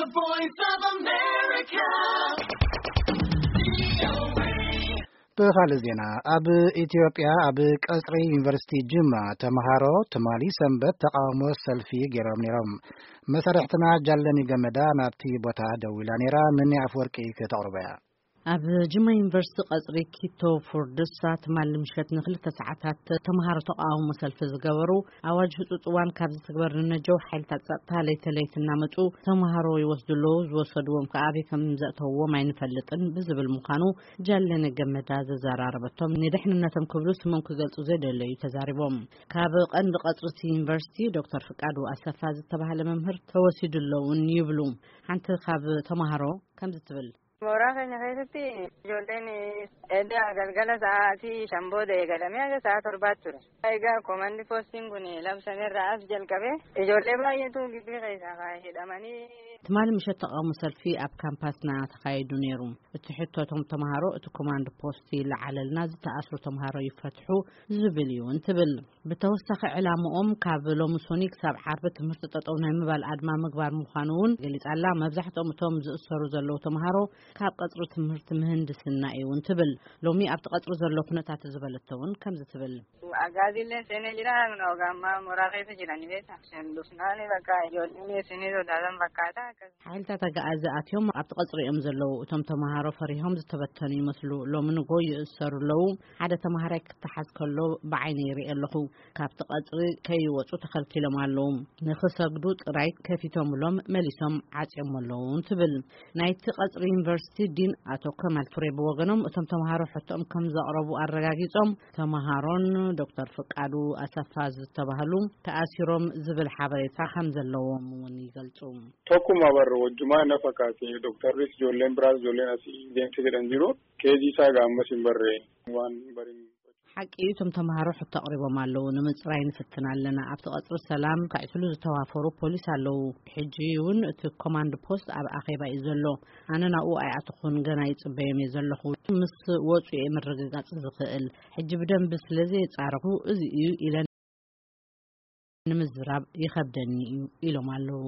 The Voice of America. ብኻልእ ዜና፣ ኣብ ኢትዮጵያ ኣብ ቀጽሪ ዩኒቨርሲቲ ጅማ ተምሃሮ ትማሊ ሰንበት ተቃውሞ ሰልፊ ገይሮም ነይሮም። መሳርሕትና ጃለኒ ገመዳ ናብቲ ቦታ ደዊላ ነይራ፣ ምኒ ኣፍወርቂ ከተቕርቦ እያ። ኣብ ጅማ ዩኒቨርሲቲ ቀጽሪ ኪቶ ፎርድሳ ትማሊ ምሸት ንክልተ ሰዓታት ተምሃሮ ተቃውሞ ሰልፊ ዝገበሩ፣ ኣዋጅ ህጹጽ እዋን ካብ ዝትግበር ንነጀው ሓይልታት ጸጥታ ለይቲ ለይቲ እናመጹ ተምሃሮ ይወስዱ ኣለዉ፣ ዝወሰድዎም ከኣ ኣበይ ከም ዘእተውዎም ኣይንፈልጥን ብዝብል ምዃኑ ጃለነ ገመዳ ዘዘራረበቶም፣ ንድሕንነቶም ክብሉ ስሞም ክገልጹ ዘይደለዩ ተዛሪቦም። ካብ ቀንዲ ቀጽሪ እቲ ዩኒቨርሲቲ ዶክተር ፍቃዱ ኣሰፋ ዝተባህለ መምህር ተወሲዱ ኣለውን ይብሉ። ሓንቲ ካብ ተምሃሮ ከምዚ ትብል። Mooraa keenya keessatti ijoolleen edda galgala sa'aatii shan booda eegalamee haga sa'a torbaatti ture. Egaa koomandi poostiin kun labsameerraa as jalqabee ijoollee baay'eetu gibbii keessaa hidhamanii ትማሊ ምሸት ተቃውሞ ሰልፊ ኣብ ካምፓስና ተኻይዱ ነይሩ። እቲ ሕቶ እቶም ተምሃሮ፣ እቲ ኮማንድ ፖስት ይለዓለልና፣ ዝተኣስሩ ተምሃሮ ይፈትሑ ዝብል እዩ እንትብል። ብተወሳኺ ዕላምኦም ካብ ሎሚ ሶኒ ክሳብ ዓርቢ ትምህርቲ ጠጠው ናይ ምባል ኣድማ ምግባር ምዃኑ እውን ገሊጻ ኣላ። መብዛሕትኦም እቶም ዝእሰሩ ዘለዉ ተምሃሮ ካብ ቀጽሪ ትምህርቲ ምህንድስና እዩ እውን ትብል። ሎሚ ኣብቲ ቀጽሪ ዘሎ ኩነታት ዝበለቶ እውን ከምዚ ትብል። Agaaziillee seenee jira. Ogaammaa mooraa keessa jiranii beekta. Sendufnaani bakka ijoolleen seenee sodaatan fakkaata. ሓይልታት ኣግኣዚ ኣትዮም ኣብቲ ቀጽሪ እዮም ዘለዉ። እቶም ተምሃሮ ፈሪሆም ዝተበተኑ ይመስሉ። ሎሚ ንጎ ይእሰሩ ኣለዉ። ሓደ ተምሃራይ ክተሓዝ ከሎ ብዓይነ ይርኢ ኣለኹ። ካብቲ ቀጽሪ ከይወጹ ተኸልኪሎም ኣለዉ። ንኽሰግዱ ጥራይ ከፊቶምሎም መሊሶም ዓጽዮም ኣለዉ ትብል። ናይቲ ቀጽሪ ዩኒቨርሲቲ ዲን ኣቶ ከማል ቱሬ ብወገኖም፣ እቶም ተምሃሮ ሕቶኦም ከም ዘቕረቡ ኣረጋጊጾም፣ ተምሃሮን ዶክተር ፍቃዱ ኣሰፋ ዝተባህሉ ተኣሲሮም ዝብል ሓበሬታ ከም ዘለዎም እውን ይገልጹ። Tokkuma barra wajjumaa na fakkaate. Doktarris ijoolleen biraas ijoolleen asii deemte jedhan jiru. Keejii isaa gaammas hin barre waan bariin ሓቂ እዩ፣ እቶም ተምሃሮ ሕቶ ኣቕሪቦም ኣለዉ። ንምጽራይ ንፍትን ኣለና። ኣብቲ ቀጽሪ ሰላም ከዕስሉ ዝተዋፈሩ ፖሊስ ኣለዉ። ሕጂ እውን እቲ ኮማንድ ፖስት ኣብ ኣኼባ እዩ ዘሎ። ኣነ ናብኡ ኣይኣተኹን፣ ገና ይጽበዮም እየ ዘለኹ። ምስ ወጹ እየ ምርግጋጽ ዝኽእል። ሕጂ ብደንቢ ስለ ዘየጻረኹ እዚ እዩ ኢለን ንምዝራብ ይኸብደኒ እዩ ኢሎም ኣለዉ።